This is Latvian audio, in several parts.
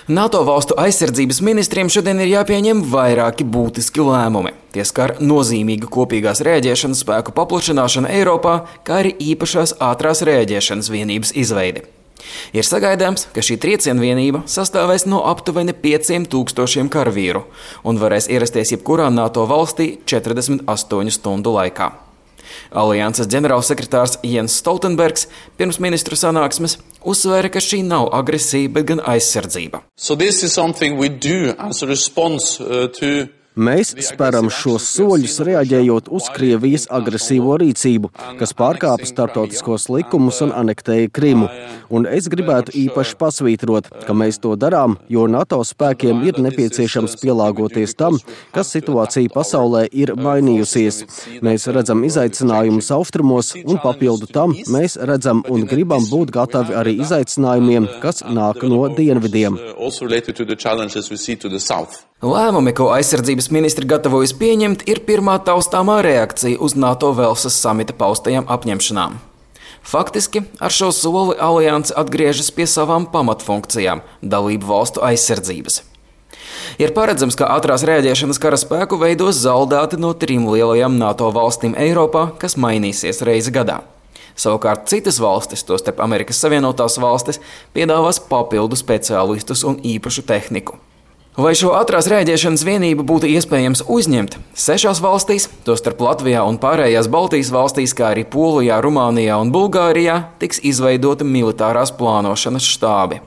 NATO valstu aizsardzības ministriem šodien ir jāpieņem vairāki būtiski lēmumi. Tie skar nozīmīgu kopīgās rēģēšanas spēku paplašināšanu Eiropā, kā arī īpašās ātrās rēģēšanas vienības izveidi. Ir sagaidāms, ka šī trieciena vienība sastāvēs no aptuveni 5000 karavīru un varēs ierasties jebkurā NATO valstī 48 stundu laikā. Alianses ģenerālsekretārs Jens Stoltenbergs pirms ministru sanāksmes uzsvēra, ka šī nav agresija, bet gan aizsardzība. Mēs spēram šos soļus, reaģējot uz Krievijas agresīvo rīcību, kas pārkāpa starptautiskos likumus un anektēja Krimu. Un es gribētu īpaši pasvītrot, ka mēs to darām, jo NATO spēkiem ir nepieciešams pielāgoties tam, ka situācija pasaulē ir mainījusies. Mēs redzam izaicinājumus austrumos, un papildu tam mēs redzam un gribam būt gatavi arī izaicinājumiem, kas nāk no dienvidiem. Lēmumi, ko aizsardzības ministri gatavojas pieņemt, ir pirmā taustāmā reakcija uz NATO Velsas samita paustajām apņemšanām. Faktiski ar šo soli alianse atgriežas pie savām pamatfunkcijām – dalību valstu aizsardzības. Ir paredzams, ka ātrās rēģēšanas karaspēku veidos zaldāti no 3 lielajām NATO valstīm Eiropā, kas mainīsies reizi gadā. Savukārt citas valstis, tostarp Amerikas Savienotās valstis, piedāvās papildu speciālistus un īpašu tehniku. Lai šo ātrās rēģēšanas vienību būtu iespējams uzņemt, 6 valstīs, tostarp Latvijā un pārējās Baltijas valstīs, kā arī Polijā, Rumānijā un Bulgārijā, tiks izveidota militārās plānošanas štābi.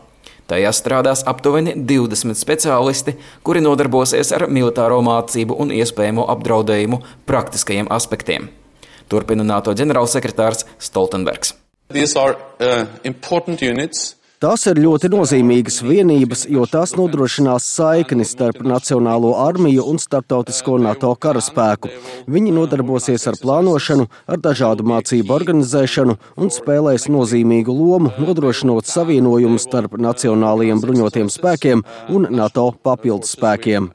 Tajās strādās aptuveni 20 speciālisti, kuri nodarbosies ar militāro mācību un iespējamo apdraudējumu praktiskajiem aspektiem. Turpina NATO ģenerālsekretārs Stoltenbergs. Tās ir ļoti nozīmīgas vienības, jo tās nodrošinās saikni starp Nacionālo armiju un starptautisko NATO karaspēku. Viņi nodarbosies ar plānošanu, ar dažādu mācību organizēšanu un spēlēs nozīmīgu lomu, nodrošinot savienojumu starp nacionālajiem bruņotiem spēkiem un NATO papildus spēkiem.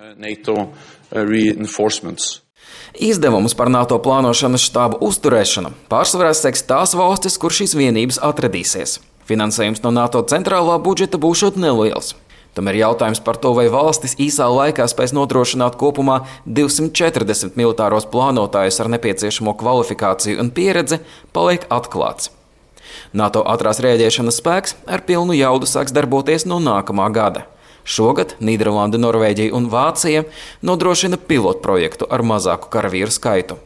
Izdevumus par NATO plānošanas štābu uzturēšanu pārsvarā seks tās valstis, kur šīs vienības atradīsies. Finansējums no NATO centrālā budžeta būšot neliels. Tomēr jautājums par to, vai valstis īsā laikā spēs nodrošināt kopumā 240 militāros plānotājus ar nepieciešamo kvalifikāciju un pieredzi, paliek atklāts. NATO ātrās rēģēšanas spēks ar pilnu jaudu sāks darboties no nākamā gada. Šogad Nīderlanda, Norvēģija un Vācija nodrošina pilotprojektu ar mazāku karavīru skaitu.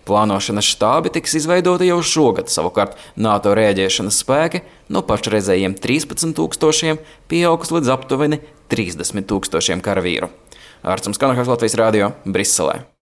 Plānošanas štābi tiks izveidoti jau šogad, savukārt NATO rēģēšanas spēki no pašreizējiem 13 000 pieaugs līdz aptuveni 30 000 karavīru. Ārcums Kanahas, Latvijas radio, Briselē.